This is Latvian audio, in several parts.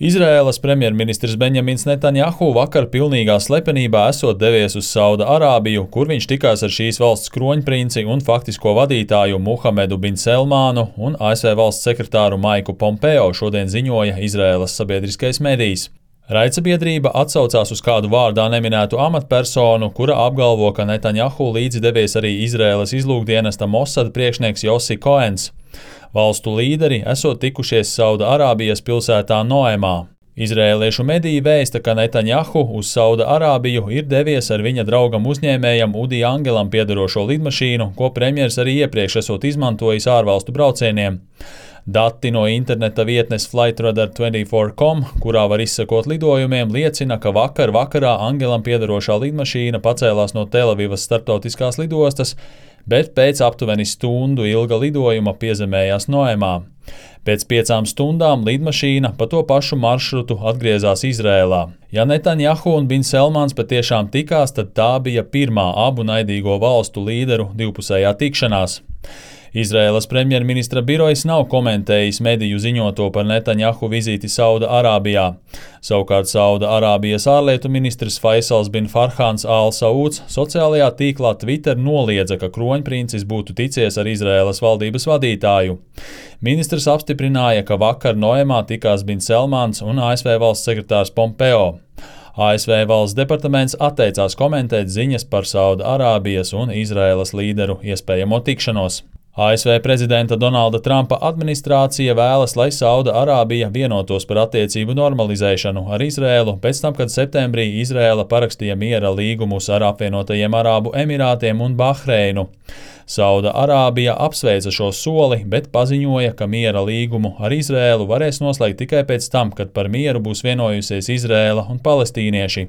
Izraēlas premjerministrs Benjamins Netanjahu vakar pilnīgā slepenībā esot devies uz Sauda Arābiju, kur viņš tikās ar šīs valsts kroņprinci un faktisko vadītāju Muhamedu bin Selmānu un ASV valsts sekretāru Maiku Pompeo, šodien ziņoja Izraēlas sabiedriskais medijs. Raidsabiedrība atsaucās uz kādu vārdā neminētu amatpersonu, kura apgalvo, ka Netanjahu līdzi devies arī Izraēlas izlūkdienesta Mossad priekšnieks Jossi Koens. Valstu līderi esot tikušies Sauda Arābijas pilsētā Noemā. Izraēliešu mediji vēsta, ka Netanjahu uz Sauda Arābiju ir devies ar viņa draugam uzņēmējam Udi Angelam piederošo lidmašīnu, ko premjers arī iepriekš esot izmantojis ārvalstu braucieniem. Dati no interneta vietnes Flightradar24.com, kurā var izsekot lidojumiem, liecina, ka vakarā Angelam piederošā lidmašīna pacēlās no Telavivas starptautiskās lidostas, bet pēc aptuveni stundu ilga lidojuma piezemējās Noemā. Pēc 5 stundām lidmašīna pa to pašu maršrutu atgriezās Izrēlā. Ja Netanjahu un bin Selmāns patiešām tikās, tad tā bija pirmā abu naidīgo valstu līderu divpusējā tikšanās. Izraēlas premjerministra birojs nav komentējis mediju ziņoto par Netanjahu vizīti Sauda Arābijā. Savukārt Sauda Arābijas ārlietu ministrs Faisals bin Farhāns Al-Sauds sociālajā tīklā Twitter noliedza, ka kroņprincis būtu ticies ar Izraēlas valdības vadītāju. Ministrs apstiprināja, ka vakar Noemā tikās bin Selmāns un ASV valsts sekretārs Pompeo. ASV valsts departaments atteicās komentēt ziņas par Sauda Arābijas un Izraēlas līderu iespējamo tikšanos. ASV prezidenta Donalda Trumpa administrācija vēlas, lai Sauda Arābija vienotos par attiecību normalizēšanu ar Izraēlu pēc tam, kad septembrī Izraēla parakstīja miera līgumus ar apvienotajiem Arābu Emirātiem un Bahreinu. Sauda Arābija apsveica šo soli, bet paziņoja, ka miera līgumu ar Izraēlu varēs noslēgt tikai pēc tam, kad par mieru būs vienojusies Izraēla un palestīnieši.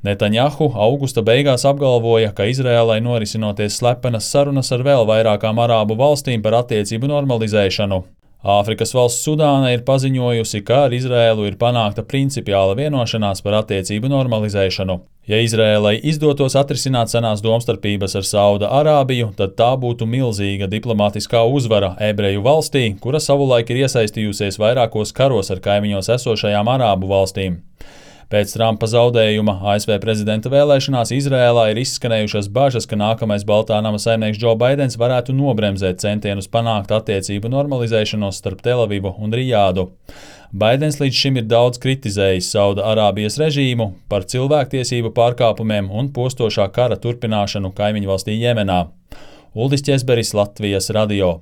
Netanjahu augusta beigās apgalvoja, ka Izraēlai norisinoties slepenas sarunas ar vēl vairākām arābu valstīm par attiecību normalizēšanu. Āfrikas valsts Sudāna ir paziņojusi, ka ar Izraēlu ir panākta principiāla vienošanās par attiecību normalizēšanu. Ja Izraēlai izdotos atrisināt senās domstarpības ar Sauda Arābiju, tad tā būtu milzīga diplomātiskā uzvara ebreju valstī, kura savulaik ir iesaistījusies vairākos karos ar kaimiņos esošajām arābu valstīm. Pēc Trumpa zaudējuma ASV prezidenta vēlēšanās Izraēlā ir izskanējušas bažas, ka nākamais Baltā nama saimnieks Džo Baidens varētu nobremzēt centienus panākt attiecību normalizēšanos starp Telavivu un Rijādu. Baidens līdz šim ir daudz kritizējis Sauda Arābijas režīmu par cilvēktiesību pārkāpumiem un postošā kara turpināšanu kaimiņvalstī Jemenā. Uldis Ķesberis, Latvijas radio.